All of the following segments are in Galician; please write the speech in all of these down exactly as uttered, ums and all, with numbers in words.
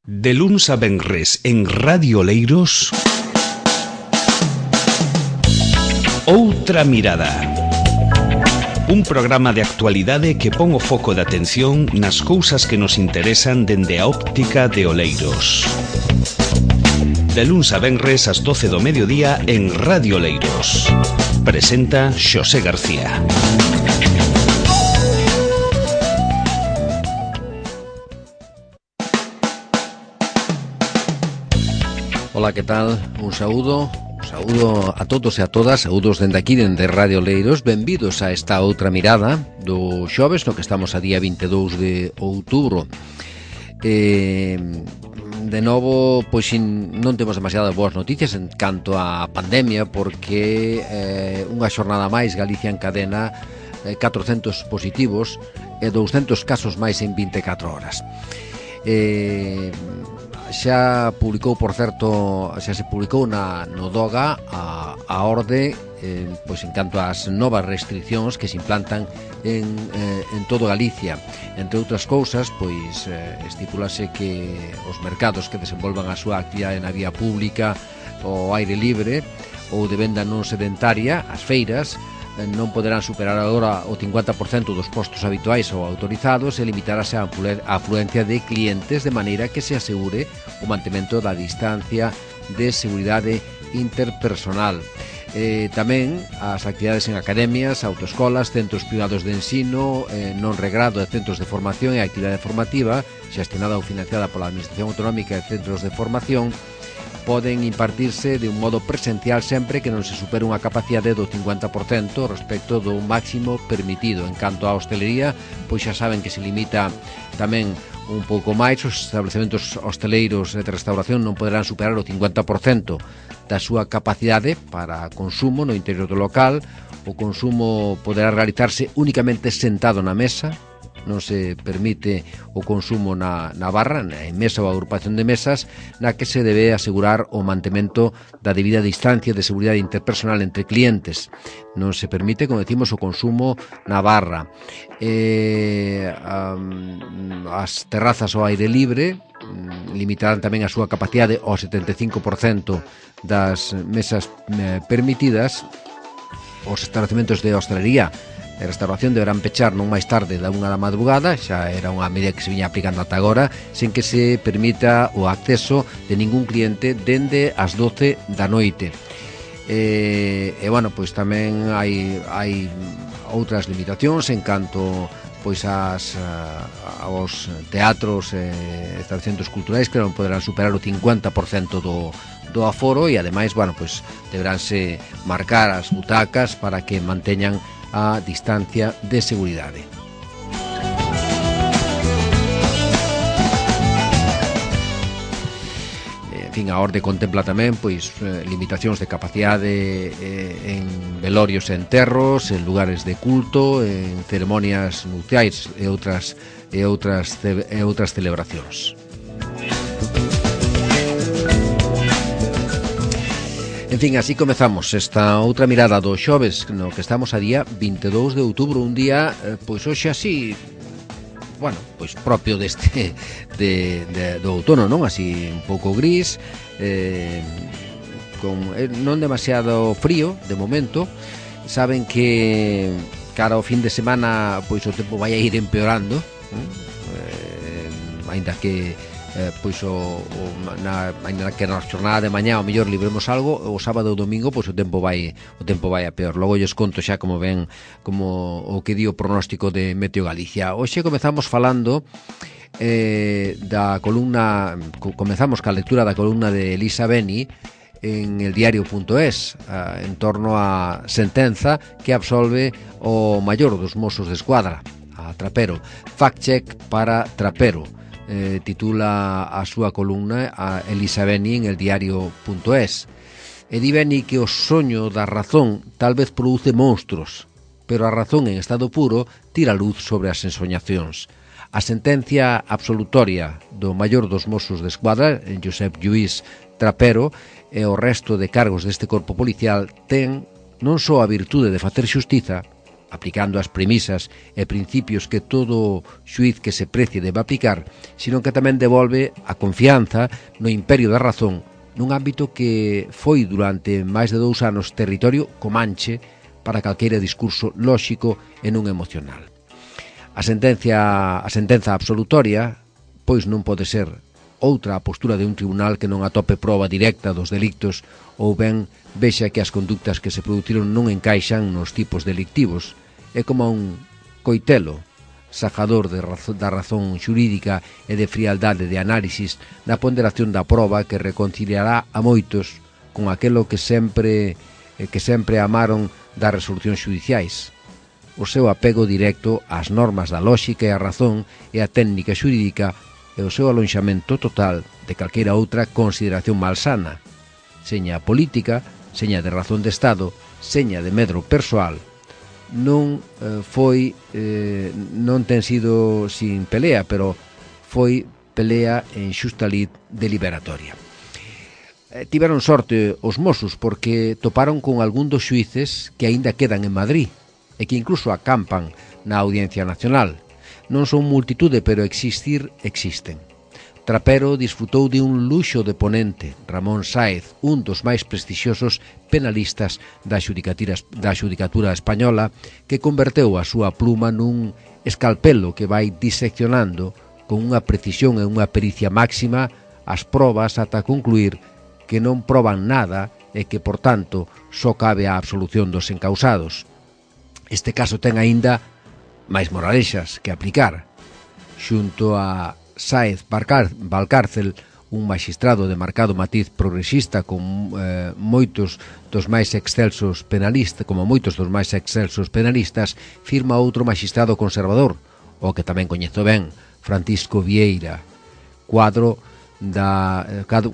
De luns a venres en Radio Oleiros, Outra Mirada. Un programa de actualidade que pon o foco de atención nas cousas que nos interesan dende a óptica de Oleiros. De luns a venres ás doce do mediodía en Radio Oleiros. Presenta Xosé García. Ola, que tal? Un saúdo, un saúdo a todos e a todas, saúdos dende aquí, dende Radio Oleiros. Benvidos a esta outra mirada do xoves, no que estamos a día vinte e dous de outubro. Eh, de novo, pois non temos demasiadas boas noticias en canto á pandemia, porque eh, unha xornada máis Galicia encadena eh, catrocentos positivos e douscentos casos máis en vinte e catro horas. Eh... Xa publicou, por certo, xa se publicou na, no DOGA a, a orde eh, pois en canto ás novas restriccións que se implantan en, eh, en todo Galicia. Entre outras cousas, pois eh, estipulase que os mercados que desenvolvan a súa actividade na vía pública, ao aire libre ou de venda non sedentaria, as feiras, non poderán superar agora o cincuenta por cento dos postos habituais ou autorizados e limitarase a afluencia de clientes de maneira que se asegure o mantemento da distancia de seguridade interpersonal. Eh, tamén as actividades en academias, autoescolas, centros privados de ensino, eh, non regrado de centros de formación e actividade formativa, xestionada ou financiada pola Administración Autonómica de Centros de Formación, poden impartirse de un modo presencial sempre que non se supere unha capacidade do cincuenta por cento respecto do máximo permitido. En canto á hostelería, pois xa saben que se limita tamén un pouco máis. Os establecementos hosteleiros de restauración non poderán superar o cincuenta por cento da súa capacidade para consumo no interior do local. O consumo poderá realizarse únicamente sentado na mesa. Non se permite o consumo na, na barra, na mesa ou agrupación de mesas, na que se debe asegurar o mantemento da debida distancia de seguridade interpersonal entre clientes. Non se permite, como decimos, o consumo na barra. Eh, um, as terrazas ao aire libre limitarán tamén a súa capacidade ao setenta e cinco por cento das mesas eh, permitidas. Os establecementos de hostelería e restauración deberán pechar non máis tarde da unha da madrugada, xa era unha medida que se viña aplicando ata agora, sen que se permita o acceso de ningún cliente dende as doce da noite. E, e bueno, pois tamén hai, hai outras limitacións en canto pois as, aos teatros e estabelecementos culturais, que non poderán superar o cincuenta por cento do, do aforo, e ademais, bueno, pois deberánse marcar as butacas para que manteñan a distancia de seguridade. En fin, a orde contempla tamén pois limitacións de capacidade eh, en velorios e enterros, en lugares de culto, en ceremonias nupciais e outras e outras e outras celebracións. En fin, así comezamos esta outra mirada do xoves, no que estamos a día vinte e dous de outubro, un día, pois hoxe así, bueno, pois propio deste de, de, do outono, non? Así un pouco gris, eh, con eh, non demasiado frío de momento. Saben que cara ao fin de semana pois o tempo vai a ir empeorando, eh, aínda que Eh, pois o, o na, na que na xornada de mañá ao mellor libremos algo, o sábado ou domingo pois o tempo vai o tempo vai a peor. Logo lles conto xa como ven como o que di o pronóstico de Meteo Galicia. Hoxe comezamos falando eh, da columna comezamos ca lectura da columna de Elisa Beni en el diario punto es, eh, en torno á sentenza que absolve o maior dos Mossos de Escuadra, a Trapero. Fact check para Trapero. Eh, titula a súa columna a Elisa Beni en el diario punto es. E di Beni que o soño da razón tal vez produce monstruos, pero a razón en estado puro tira luz sobre as ensoñacións. A sentencia absolutoria do maior dos Mossos de Escuadra, Josep Lluís Trapero, e o resto de cargos deste corpo policial ten non só a virtude de facer xustiza, aplicando as premisas e principios que todo xuiz que se precie debe aplicar, sino que tamén devolve a confianza no imperio da razón nun ámbito que foi durante máis de dous anos territorio comanche para calqueira discurso lóxico e non emocional. A sentencia, a sentenza absolutoria, pois non pode ser outra a postura de un tribunal que non atope proba directa dos delictos ou ben vexa que as conductas que se produciron non encaixan nos tipos delictivos. É como un coitelo sajador de razón, da razón xurídica e de frialdade de análisis na ponderación da proba que reconciliará a moitos con aquelo que sempre que sempre amaron das resolucións xudiciais. O seu apego directo ás normas da lóxica e a razón e a técnica xurídica e o seu alonxamento total de calqueira outra consideración malsana, seña política, seña de razón de Estado, seña de medro persoal. Non eh, foi eh, non ten sido sin pelea, pero foi pelea en xusta lid deliberatoria. Eh, tiveron sorte os Mossos porque toparon con algún dos xuíces que aínda quedan en Madrid e que incluso acampan na Audiencia Nacional. Non son multitude, pero existir existen. Trapero disfrutou de un luxo de ponente, Ramón Sáez, un dos máis prestixiosos penalistas da xudicatura, da xudicatura española, que converteu a súa pluma nun escalpelo que vai diseccionando con unha precisión e unha pericia máxima as probas ata concluir que non proban nada e que, por tanto, só cabe a absolución dos encausados. Este caso ten aínda máis moralexas que aplicar. Xunto a Sáez Valcárcel, un maxistrado de marcado matiz progresista con eh, moitos dos máis excelsos penalistas, como moitos dos máis excelsos penalistas, firma outro maxistrado conservador, o que tamén coñezo ben, Francisco Vieira, cuadro da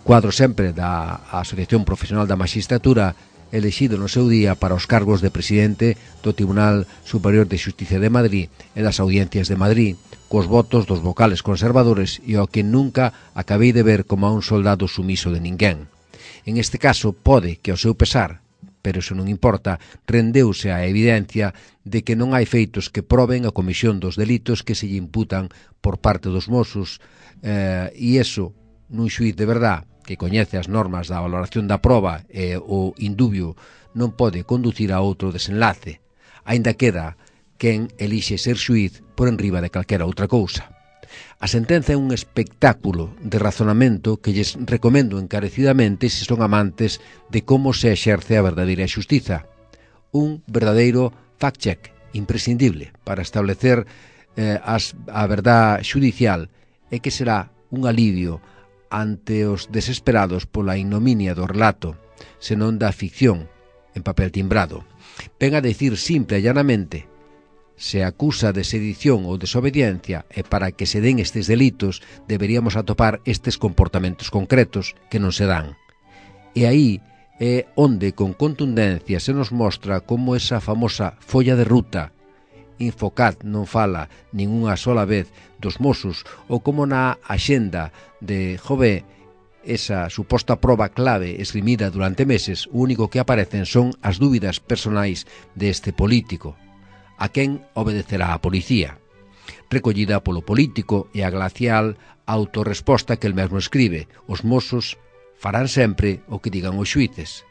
cuadro sempre da Asociación Profesional da Magistratura, elexido no seu día para os cargos de presidente do Tribunal Superior de Xusticia de Madrid e das Audiencias de Madrid, cos votos dos vocales conservadores e o que nunca acabei de ver como a un soldado sumiso de ninguén. En este caso, pode que ao seu pesar, pero iso non importa, rendeuse a evidencia de que non hai feitos que proben a comisión dos delitos que se lle imputan por parte dos Mossos, eh, e iso, nun xuíz de verdad, que coñece as normas da valoración da proba e o indubio, non pode conducir a outro desenlace. Aínda queda quen elixe ser xuíz por enriba de calquera outra cousa. A sentenza é un espectáculo de razonamento que lles recomendo encarecidamente se son amantes de como se exerce a verdadeira xustiza. Un verdadeiro fact-check imprescindible para establecer eh, as, a verdade xudicial e que será un alivio ante os desesperados pola ignominia do relato, senón da ficción en papel timbrado. Ven a decir simple e llanamente: se acusa de sedición ou desobediencia e para que se den estes delitos deberíamos atopar estes comportamentos concretos que non se dan. E aí é onde con contundencia se nos mostra como esa famosa folla de ruta Infocat non fala nin unha sola vez dos Mossos ou como na axenda de Jové esa suposta proba clave esgrimida durante meses, o único que aparecen son as dúbidas personais deste político. A quen obedecerá a policía, recollida polo político e a glacial autorresposta que el mesmo escribe: os Mossos farán sempre o que digan os xuíces.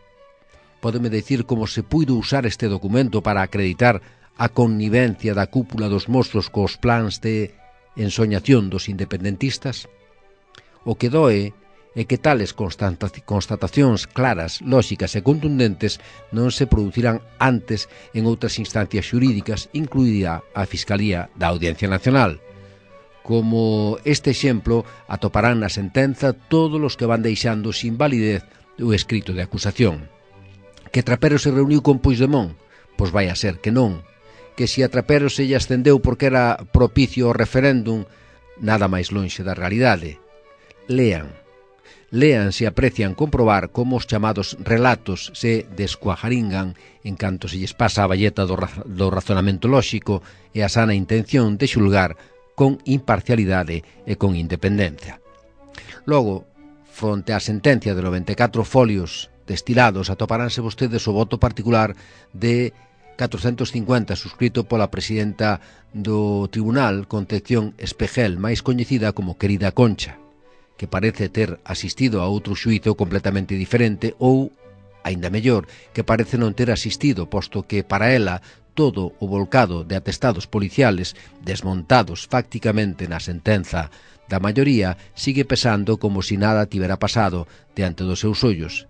Pódeme dicir como se puido usar este documento para acreditar a connivencia da cúpula dos Mossos cos plans de ensoñación dos independentistas? O que doe é que tales constatacións claras, lóxicas e contundentes non se producirán antes en outras instancias xurídicas, incluída a Fiscalía da Audiencia Nacional. Como este exemplo, atoparán na sentenza todos os que van deixando sin validez o escrito de acusación. Que Trapero se reuniu con Puigdemont? Pois vai a ser que non. Que se a Trapero se lle ascendeu porque era propicio ao referéndum, nada máis lonxe da realidade. Lean. Lean se aprecian comprobar como os chamados relatos se descuajaringan en canto se lles pasa a balleta do, ra do razonamento lóxico e a sana intención de xulgar con imparcialidade e con independencia. Logo, fronte á sentencia de noventa e catro folios destilados, atoparánse vostedes o voto particular de catrocentos cincuenta, suscrito pola presidenta do tribunal, Concepción Espejel, máis coñecida como Querida Concha, que parece ter asistido a outro xuízo completamente diferente ou, aínda mellor, que parece non ter asistido, posto que para ela todo o volcado de atestados policiales desmontados facticamente na sentenza da maioría sigue pesando como si nada tivera pasado diante dos seus ollos.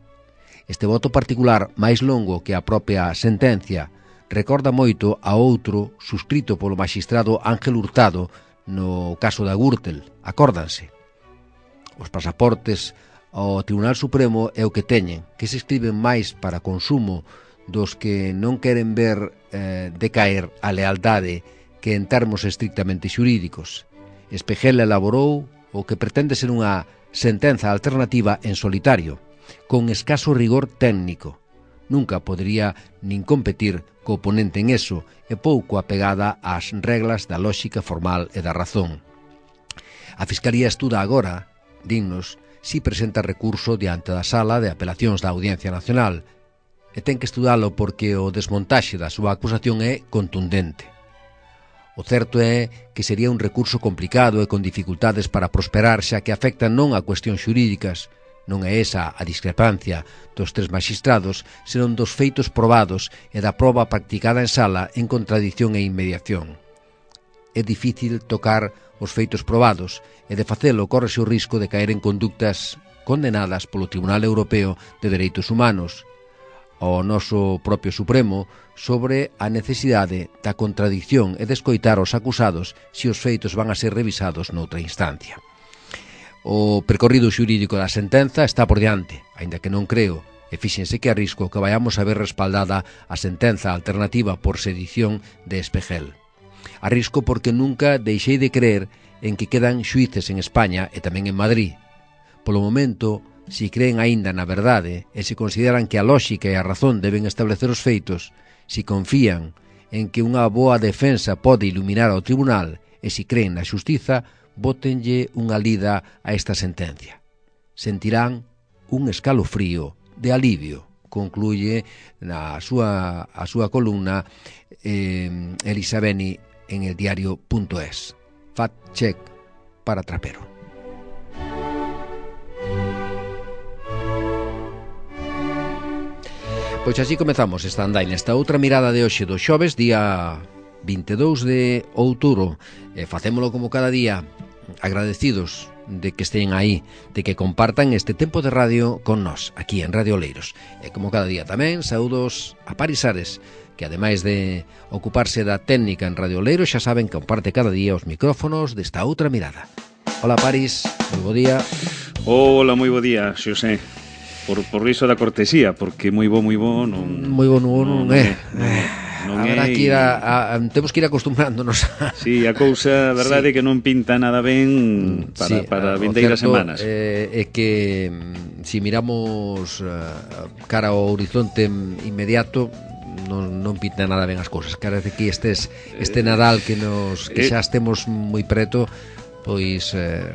Este voto particular, máis longo que a propia sentencia, recorda moito a outro suscrito polo magistrado Ángel Hurtado no caso da Gürtel, acórdanse. Os pasaportes ao Tribunal Supremo é o que teñen, que se escriben máis para consumo dos que non queren ver eh, decaer a lealdade que en termos estrictamente xurídicos. Espejel elaborou o que pretende ser unha sentenza alternativa en solitario, con escaso rigor técnico. Nunca podería nin competir co oponente en eso e pouco apegada ás reglas da lóxica formal e da razón. A Fiscalía estuda agora, dinnos, si presenta recurso diante da Sala de Apelacións da Audiencia Nacional, e ten que estudalo porque o desmontaxe da súa acusación é contundente. O certo é que sería un recurso complicado e con dificultades para prosperar, xa que afecta non a cuestións xurídicas, non é esa a discrepancia dos tres magistrados, senón dos feitos probados e da proba practicada en sala en contradición e inmediación. É difícil tocar os feitos probados e de facelo córrese o risco de caer en conductas condenadas polo Tribunal Europeo de Dereitos Humanos, ao noso propio Supremo, sobre a necesidade da contradición e de escoitar os acusados se os feitos van a ser revisados noutra instancia. O percorrido xurídico da sentenza está por diante, aínda que non creo, e fíxense que arrisco que vayamos a ver respaldada a sentenza alternativa por sedición de Espejel. Arrisco porque nunca deixei de creer en que quedan xuíces en España e tamén en Madrid. Polo momento, si creen aínda na verdade e se consideran que a lóxica e a razón deben establecer os feitos, si confían en que unha boa defensa pode iluminar ao tribunal e si creen na xustiza, bótenlle unha lida a esta sentencia. Sentirán un escalofrío de alivio, concluye na súa, a súa columna eh, Elisa Beni en el diario punto es. Fact check para Trapero. Pois así comezamos esta andaina, esta outra mirada de hoxe do xoves, día vinte e dous de outubro. E facémolo como cada día, agradecidos de que estén aí, de que compartan este tempo de radio con nós, aquí en Radio Oleiros. E como cada día tamén, saúdos a Paris Ares, que ademais de ocuparse da técnica en Radio Oleiros, xa saben que comparte cada día os micrófonos desta outra mirada. Hola Paris, moi bo día. Hola, moi bo día, Xosé. Por, por iso da cortesía, porque moi bo, moi bo non... Moi bo non, non, non é. Non Habrá é, que ir a, a, temos que ir acostumbrándonos a... Sí, a cousa, a verdade, sí, que non pinta nada ben para, sí, para vindeiras semanas. É eh, que si miramos uh, cara ao horizonte inmediato, non, non pinta nada ben as cousas. Parece que estes, este Nadal que nos que xa estemos moi preto, pois eh,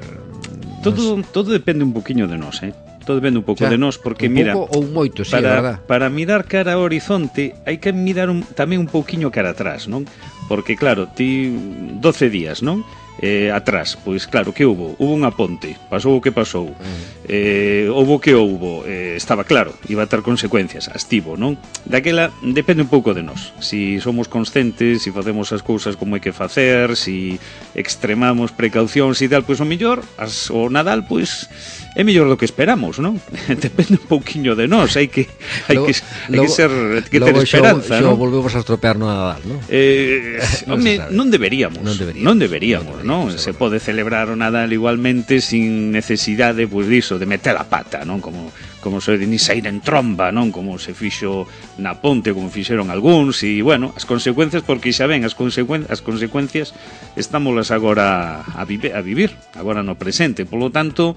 todo, nos... todo depende un poquinho de nós, eh? Todo depende un pouco xa, de nós, porque un mira, pouco ou moito, sí, para, verdad. Para mirar cara ao horizonte hai que mirar un, tamén un pouquiño cara atrás, non? Porque claro, ti doce días, non? Eh, atrás, pois claro, que houbo? Hubo unha ponte, pasou o que pasou. Mm. Eh, houbo que houbo, eh, estaba claro, iba a ter consecuencias, as tivo, non? Daquela depende un pouco de nós. Si somos conscientes, si facemos as cousas como hai que facer, si extremamos precaucións e tal, pois o mellor, as, o Nadal, pois é mellor do que esperamos, non? Depende un pouquiño de nós, hai que hai logo, que, hai logo, que ser que ter esperanza, non? Non Volvemos a estropear no Nadal, non? Eh, non, me, non deberíamos, non deberíamos, non deberíamos, non? non? Se pode celebrar o Nadal igualmente sin necesidade, pois diso, de meter a pata, non? Como como se de ni sair en tromba, non? Como se fixo na ponte, como fixeron algúns, e, bueno, as consecuencias, porque xa ven, as, consecuen as consecuencias estámolas agora a, vive a vivir, agora no presente, polo tanto,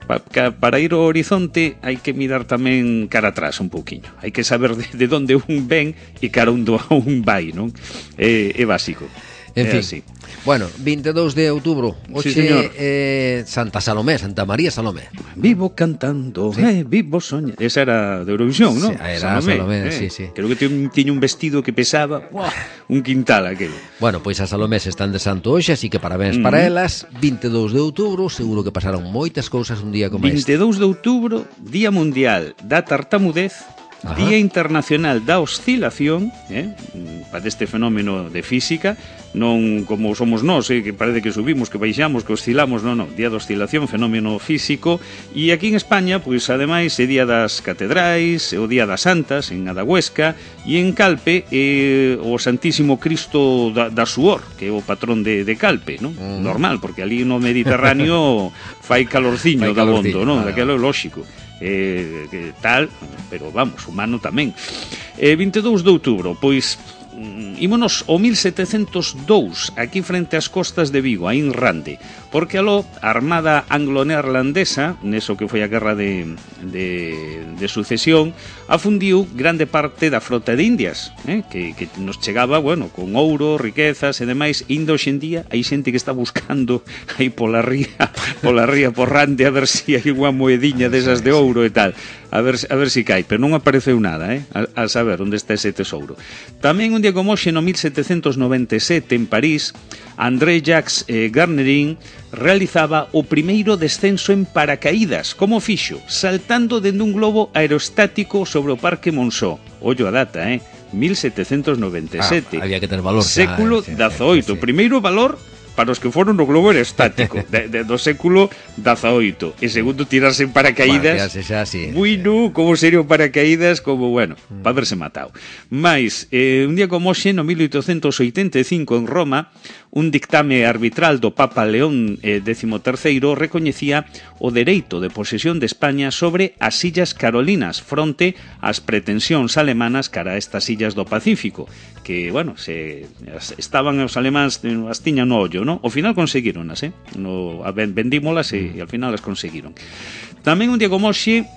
pa para ir ao horizonte hai que mirar tamén cara atrás un pouquiño, hai que saber de, de onde un ven e cara onde un vai, non? É, é básico. En é fin, así. Bueno, vinte e dous de outubro, hoxe Sí, señor. eh, Santa Salomé, Santa María Salomé. Vivo cantando, Sí. eh, vivo soñando. Esa era de Eurovisión, Sí, non? era Salomé, sí, sí. Creo que tiña un, tiña un vestido que pesaba, ¡buah!, un quintal aquelo. Bueno, pois as Salomés están de santo hoxe, así que parabéns Mm. para elas. vinte e dous de outubro, seguro que pasaron moitas cousas un día como este. vinte e dous de outubro, Día Mundial da Tartamudez, Ajá. Día Internacional da Oscilación, eh? para este fenómeno de física, non como somos nós, eh? que parece que subimos, que baixamos, que oscilamos, non, non, Día da Oscilación, fenómeno físico, e aquí en España, pois ademais, é Día das Catedrais, é o Día das Santas, en Adahuesca, e en Calpe, é o Santísimo Cristo da, da Suor, que é o patrón de, de Calpe, non? Mm. Normal, porque ali no Mediterráneo fai calorciño Fai da calorciño, bondo, non? vale, Daquelo é lóxico. Eh, que tal, pero vamos, humano tamén. Eh, vinte e dous de outubro, pois mm, ímonos ao mil setecentos dous, aquí frente ás costas de Vigo, a Inrande, porque aló a Armada Anglo-Neerlandesa, neso que foi a guerra de, de, de sucesión, afundiu grande parte da frota de Indias, eh, que, que nos chegaba, bueno, con ouro, riquezas e demais. Indo hoxe en día hai xente que está buscando aí pola ría, pola ría porrande a ver se si hai unha moediña desas de ouro e tal, a ver, a ver si cai, pero non apareceu nada, eh, a, a saber onde está ese tesouro. Tamén un día como hoxe, no mil setecentos noventa e sete, en París, André Jacques eh, Garnerin realizaba o primeiro descenso en paracaídas. Como fixo? Saltando dende un globo aerostático sobre o Parque Monceau. Ollo a data, eh? mil setecentos noventa e sete. Ah, había que ter valor xa, Século sí, dezaoito. sí, sí. Primeiro valor para os que foron no globo aerostático de, de, do século dezaoito. E segundo, tirarse en paracaídas. Bueno, xa, sí. Bueno, como serio paracaídas, como, bueno, mm. para haberse matado. Mais, eh, un día como hoxe, no mil oitocentos oitenta e cinco, en Roma, un dictame arbitral do Papa León eh, décimo terceiro recoñecía o dereito de posesión de España sobre as Illas Carolinas fronte ás pretensións alemanas cara a estas illas do Pacífico, que, bueno, se as, estaban os alemáns, as tiñan no ollo, ¿no? Ao final conseguironas, eh? No, a, vendímolas e, e ao final as conseguiron. Tamén un día como hoxe,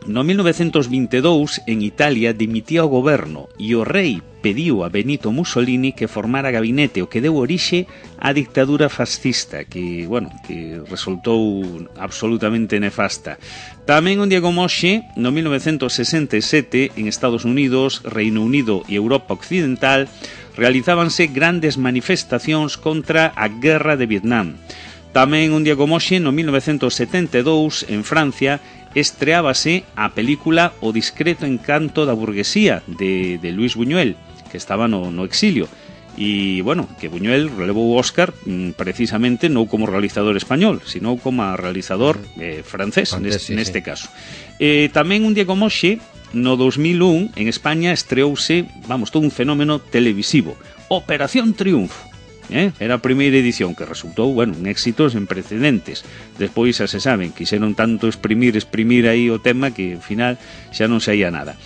no mil novecentos vinte e dous, en Italia, dimitía o goberno e o rei pediu a Benito Mussolini que formara gabinete, o que deu orixe á dictadura fascista, que, bueno, que resultou absolutamente nefasta. Tamén un día como hoxe, no mil novecentos sesenta e sete, en Estados Unidos, Reino Unido e Europa Occidental, realizábanse grandes manifestacións contra a guerra de Vietnam. Tamén un día como hoxe, no mil novecentos setenta e dous, en Francia, estreábase a película O discreto encanto da burguesía de, de Luis Buñuel, que estaba no, no exilio. E, bueno, que Buñuel relevou o Óscar mm, precisamente non como realizador español, sino como realizador eh, francés, francés neste, sí, neste sí. caso. Eh, tamén un día como hoxe, no dos mil un, en España estreouse, vamos, todo un fenómeno televisivo, Operación Triunfo. Eh? Era a primeira edición que resultou, bueno, un éxito sen precedentes. Despois, xa se saben, quixeron tanto exprimir, exprimir aí o tema que, ao final, xa non saía nada.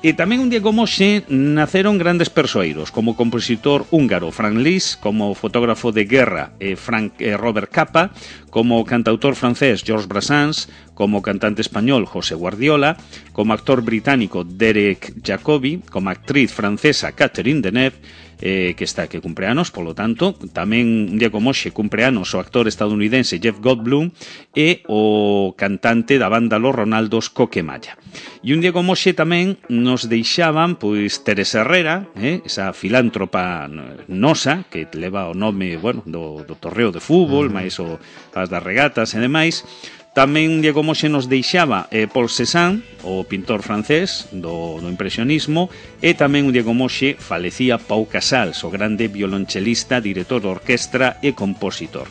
E tamén un día como hoxe naceron grandes persoeiros, como compositor húngaro Franz Liszt, como fotógrafo de guerra eh, Frank, eh, Robert Capa, como cantautor francés Georges Brassens, como cantante español José Guardiola, como actor británico Derek Jacobi, como actriz francesa Catherine Deneuve, eh, que está que cumpre anos, polo tanto, tamén un día como hoxe cumpre anos o actor estadounidense Jeff Goldblum e o cantante da banda Los Ronaldos Coquemaya. E un día como hoxe tamén nos deixaban pois Teresa Herrera, eh, esa filántropa nosa que leva o nome, bueno, do, do torreo de fútbol, máis o as das regatas e demais. Tamén un día como hoxe nos deixaba eh, Paul Cézanne, o pintor francés do, do impresionismo, e tamén un día como hoxe falecía Pau Casals, o grande violonchelista, director de orquestra e compositor.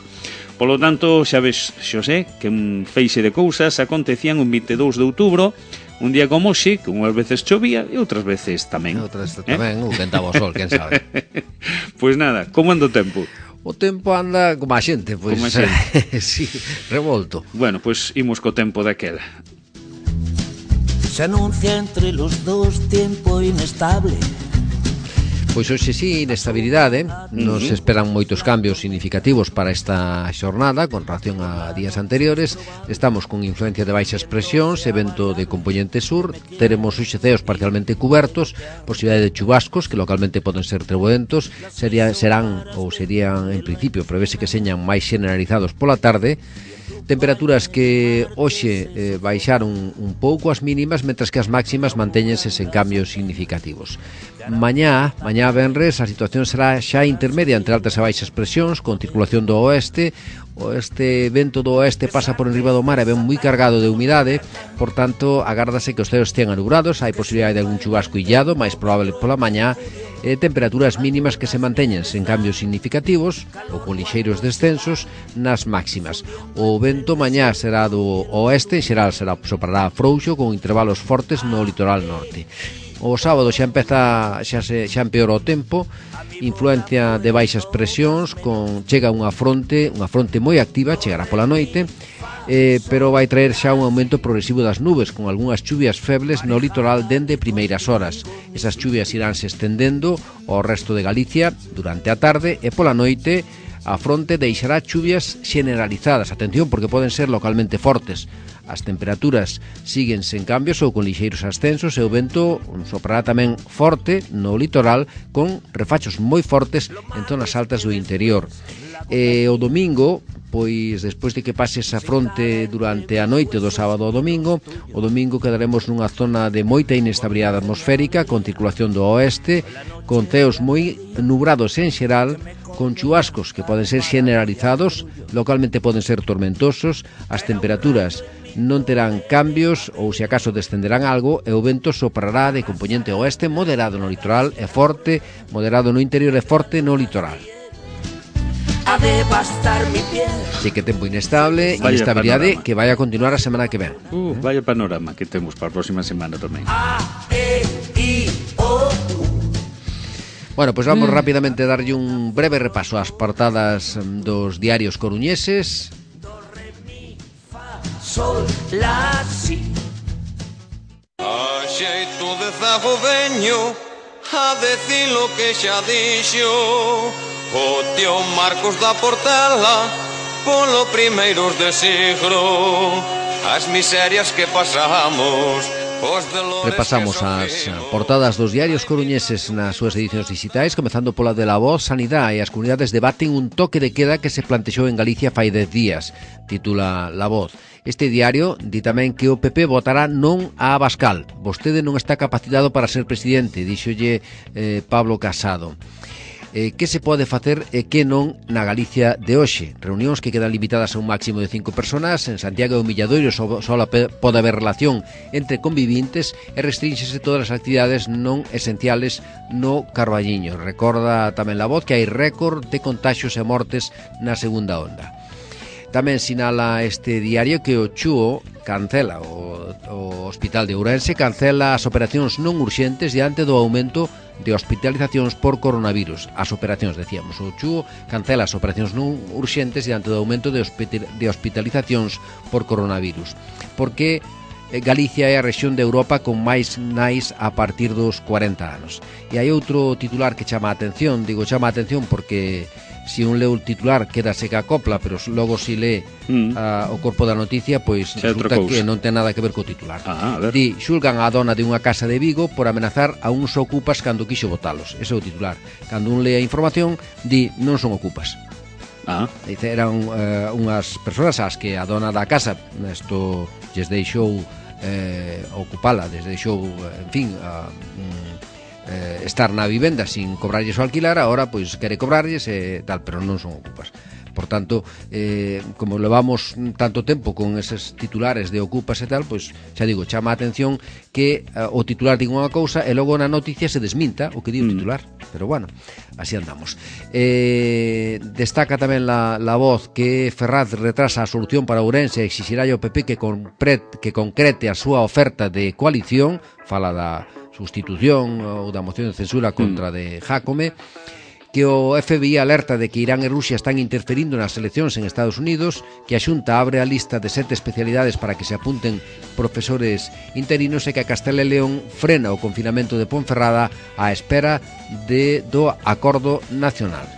Polo tanto, xa ves, Xosé, que un feixe de cousas acontecían un vinte e dous de outubro, un día como hoxe, que unhas veces chovía e outras veces tamén. Outras tamén, eh? Ou ventaba o sol, quen sabe. Pois nada, como anda o tempo? O tempo anda como a xente, pois, como a xente. sí, revolto. Bueno, pois imos co tempo daquela. Se anuncia entre los dos tiempo inestable. Pois hoxe sí, inestabilidade. Nos uh-huh. esperan moitos cambios significativos para esta xornada con relación a días anteriores. Estamos con influencia de baixas presións, evento de componente sur. Teremos hoxe ceos parcialmente cubertos, posibilidade de chubascos que localmente poden ser treboentos. Sería, serán ou serían en principio prevese que señan máis generalizados pola tarde. Temperaturas que hoxe eh, baixaron un pouco as mínimas, mentras que as máximas mantéñense sen cambios significativos. Mañá, mañá venres, a situación será xa intermedia entre altas e baixas presións, con circulación do oeste. Este vento do oeste pasa por enriba do mar e ven moi cargado de humidade, por tanto, agárdase que os ceos estean anubrados, hai posibilidade de algún chubasco illado, máis probable pola mañá, e temperaturas mínimas que se manteñen sen cambios significativos ou con lixeiros descensos nas máximas. O vento mañá será do oeste, en xeral será soprará frouxo con intervalos fortes no litoral norte. O sábado xa empeza xa se xa empeora o tempo, influencia de baixas presións, con chega unha fronte, unha fronte moi activa, chegará pola noite, eh, pero vai traer xa un aumento progresivo das nubes, con algunhas chuvias febles no litoral dende primeiras horas. Esas chuvias iránse estendendo ao resto de Galicia durante a tarde e pola noite a fronte deixará chuvias generalizadas. Atención, porque poden ser localmente fortes. As temperaturas siguen sen cambios ou con lixeiros ascensos e o vento soprará tamén forte no litoral con refachos moi fortes en zonas altas do interior. E o domingo, pois despois de que pase esa fronte durante a noite do sábado ao domingo, o domingo quedaremos nunha zona de moita inestabilidade atmosférica con circulación do oeste, con ceos moi nubrados en xeral, con chubascos que poden ser generalizados, localmente poden ser tormentosos, as temperaturas non terán cambios ou se acaso descenderán algo e o vento soprará de componente oeste moderado no litoral e forte, moderado no interior e forte no litoral. Así que tempo inestable, vaya inestabilidade panorama que vai a continuar a semana que ven. Uh, vaya panorama que temos para a próxima semana tamén. Bueno, pois pues vamos mm. rapidamente a darlle un breve repaso ás portadas dos diarios coruñeses. Sol, la, si. A xeito de zago veño a decir lo que xa dixo o tío Marcos da Portela polo primeiros de siglo, as miserias que pasamos. Repasamos as portadas dos diarios coruñeses nas súas edicións digitais, comezando pola de La Voz. Sanidade e as comunidades debaten un toque de queda que se plantexou en Galicia fai dez días, titula La Voz. Este diario di tamén que o P P votará non a Abascal. Vostede non está capacitado para ser presidente, díxolle eh, Pablo Casado. Eh, que se pode facer e que non na Galicia de hoxe? Reunións que quedan limitadas a un máximo de cinco personas. En Santiago e o Milladoiro só, só pode haber relación entre convivintes e restrinxese todas as actividades non esenciales no Carballiño. Recorda tamén La Voz que hai récord de contaxios e mortes na segunda onda. Tamén sinala este diario que o Chúo cancela, o, o Hospital de Ourense cancela as operacións non urxentes diante do aumento de hospitalizacións por coronavirus. As operacións, decíamos, o Chúo cancela as operacións non urxentes diante do aumento de, de hospitalizacións por coronavirus. Porque Galicia é a rexión de Europa con máis nais a partir dos cuarenta anos. E hai outro titular que chama a atención, digo chama a atención porque si un leu o titular queda seca a copla, pero logo si lé mm. a, o corpo da noticia, pois xa resulta que non ten nada que ver co titular. Ah, Di, xulgan a dona de unha casa de Vigo por amenazar a uns ocupas cando quixo botalos. Ese é o titular. Cando un lé a información, di, non son ocupas. Ah. Dice, eran uh, unhas persoas ás que a dona da casa isto lles deixou eh, ocupala, lles deixou, en fin, a... Uh, Eh, estar na vivenda sin cobrarlles o alquilar, agora pois quere cobrarlles e tal, pero non son ocupas. Por tanto, eh, como levamos tanto tempo con eses titulares de ocupas e tal, pois xa digo, chama a atención que eh, o titular diga unha cousa e logo na noticia se desminta o que di o titular. Mm. Pero bueno, así andamos. Eh, destaca tamén la, la Voz que Ferraz retrasa a solución para Ourense e exixirá ao P P que, compre, que concrete a súa oferta de coalición, fala da sustitución ou da moción de censura contra mm. de Jácome. que o F B I alerta de que Irán e Rusia están interferindo nas eleccións en Estados Unidos, que a Xunta abre a lista de sete especialidades para que se apunten profesores interinos e que a Castela e León frena o confinamento de Ponferrada á espera de, do acordo nacional.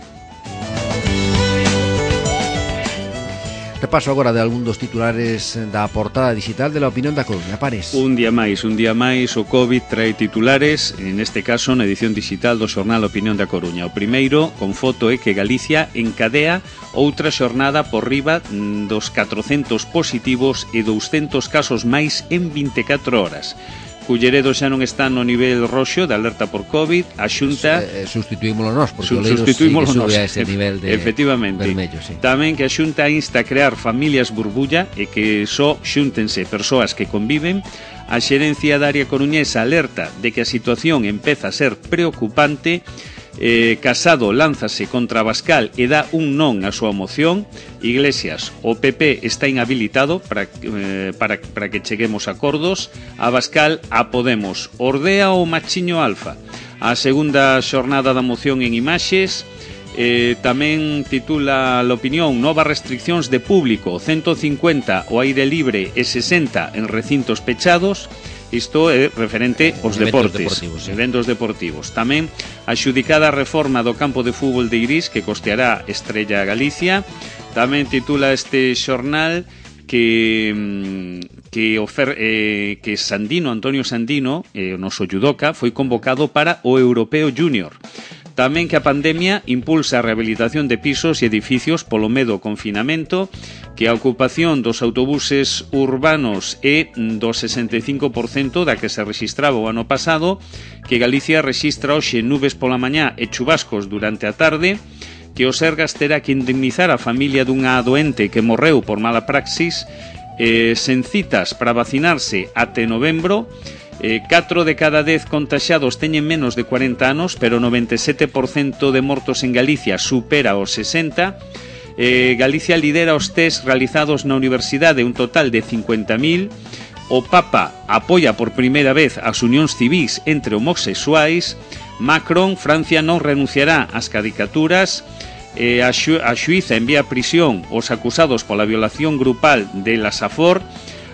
Repaso agora de algún dos titulares da portada digital de La Opinión da Coruña. Pares. Un día máis, un día máis, o COVID trae titulares, neste caso na edición digital do xornal Opinión da Coruña. O primeiro, con foto, é que Galicia encadea outra xornada por riba dos catrocentos positivos e douscentos casos máis en vinte e catro horas. Culleredo xa non está no nivel roxo de alerta por COVID, a Xunta eh, sustituímolo nós, porque su, o Leiros sí que sube a ese nivel de efectivamente vermello, sí. Tamén que a Xunta insta a crear familias burbulla e que só xúntense persoas que conviven. A xerencia da área coruñesa alerta de que a situación empeza a ser preocupante. Eh, Casado lánzase contra Abascal e dá un non a súa moción. Iglesias, o P P está inhabilitado para, eh, para, para que cheguemos a acordos. Abascal a Podemos. Ordea o machiño alfa. A segunda xornada da moción en imaxes. Eh, tamén titula a opinión: novas restriccións de público, ciento cincuenta o aire libre e sesenta en recintos pechados. Isto é referente aos deportes, deportivos, sí. Eventos deportivos. Tamén a xudicada reforma do campo de fútbol de Irís, que costeará Estrella Galicia. Tamén titula este xornal que que, ofer, eh, que Sandino, Antonio Sandino, eh, o noso judoka, foi convocado para o Europeo Júnior. Tamén que a pandemia impulsa a rehabilitación de pisos e edificios polo medo ao confinamento, que a ocupación dos autobuses urbanos é do sesenta e cinco por cento da que se registraba o ano pasado, que Galicia rexistra hoxe nubes pola mañá e chubascos durante a tarde, que o Sergas terá que indemnizar a familia dunha doente que morreu por mala praxis, eh, sen citas para vacinarse até novembro. Eh, catro de cada dez contaxados teñen menos de cuarenta anos, pero o noventa e sete por cento de mortos en Galicia supera os sesenta. Eh, Galicia lidera os test realizados na universidade, un total de cincuenta mil. O Papa apoia por primeira vez as unións civís entre homosexuais. Macron, Francia non renunciará ás caricaturas. Eh, a, xu a xuíza envía a prisión os acusados pola violación grupal de la Safor.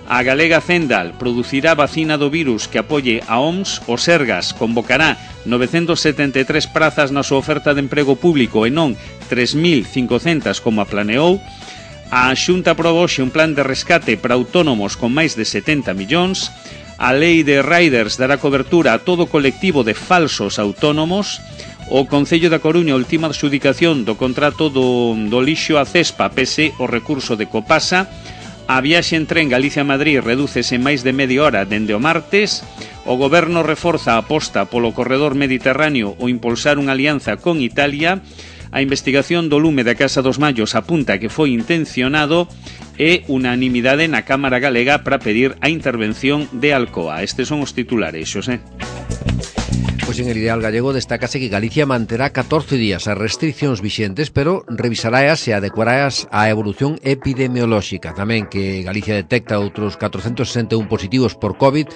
A galega Zendal producirá vacina do virus que apoie a O M S. O Sergas convocará novecentas setenta e tres prazas na súa oferta de emprego público e non tres mil cincocentas como a planeou. A Xunta aproboxe un plan de rescate para autónomos con máis de setenta millóns. A lei de riders dará cobertura a todo colectivo de falsos autónomos. O Concello da Coruña ultima adxudicación do contrato do, do lixo a Cespa pese o recurso de Copasa. A viaxe en tren Galicia-Madrid redúcese máis de media hora dende o martes. O Goberno reforza a aposta polo corredor mediterráneo ou impulsar unha alianza con Italia. A investigación do lume da Casa dos Mallos apunta que foi intencionado e unanimidade na Cámara Galega para pedir a intervención de Alcoa. Estes son os titulares, Xosé. Pois en el ideal gallego destácase que Galicia manterá catorce días as restriccións vixentes, pero revisaraas e adecuaraas á evolución epidemiolóxica. Tamén que Galicia detecta outros catrocentos sesenta e un positivos por COVID,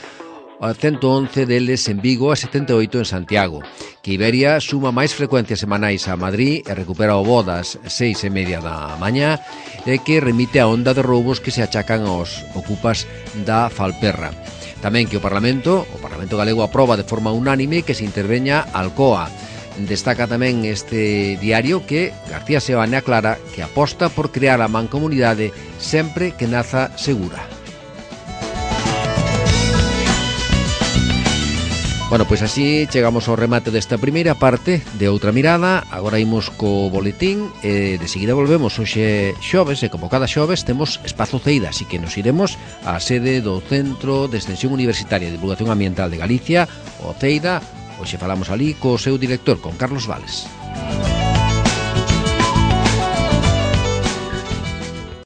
ciento once deles en Vigo e setenta e oito en Santiago. Que Iberia suma máis frecuencias semanais a Madrid e recupera o voo das seis e media da mañá, e que remite a onda de roubos que se achacan aos ocupas da Falperra. Tamén que o Parlamento, o Parlamento Galego aproba de forma unánime que se interveña Alcoa. Destaca tamén este diario que García Seoane aclara que aposta por crear a mancomunidade sempre que naza segura. Bueno, pois así chegamos ao remate desta primeira parte de Outra Mirada. Agora imos co boletín e de seguida volvemos. Hoxe xoves e como cada xoves temos Espazo Ceida, así que nos iremos á sede do Centro de Extensión Universitaria de Divulgación Ambiental de Galicia, o Ceida. Hoxe falamos ali co seu director, con Carlos Vales.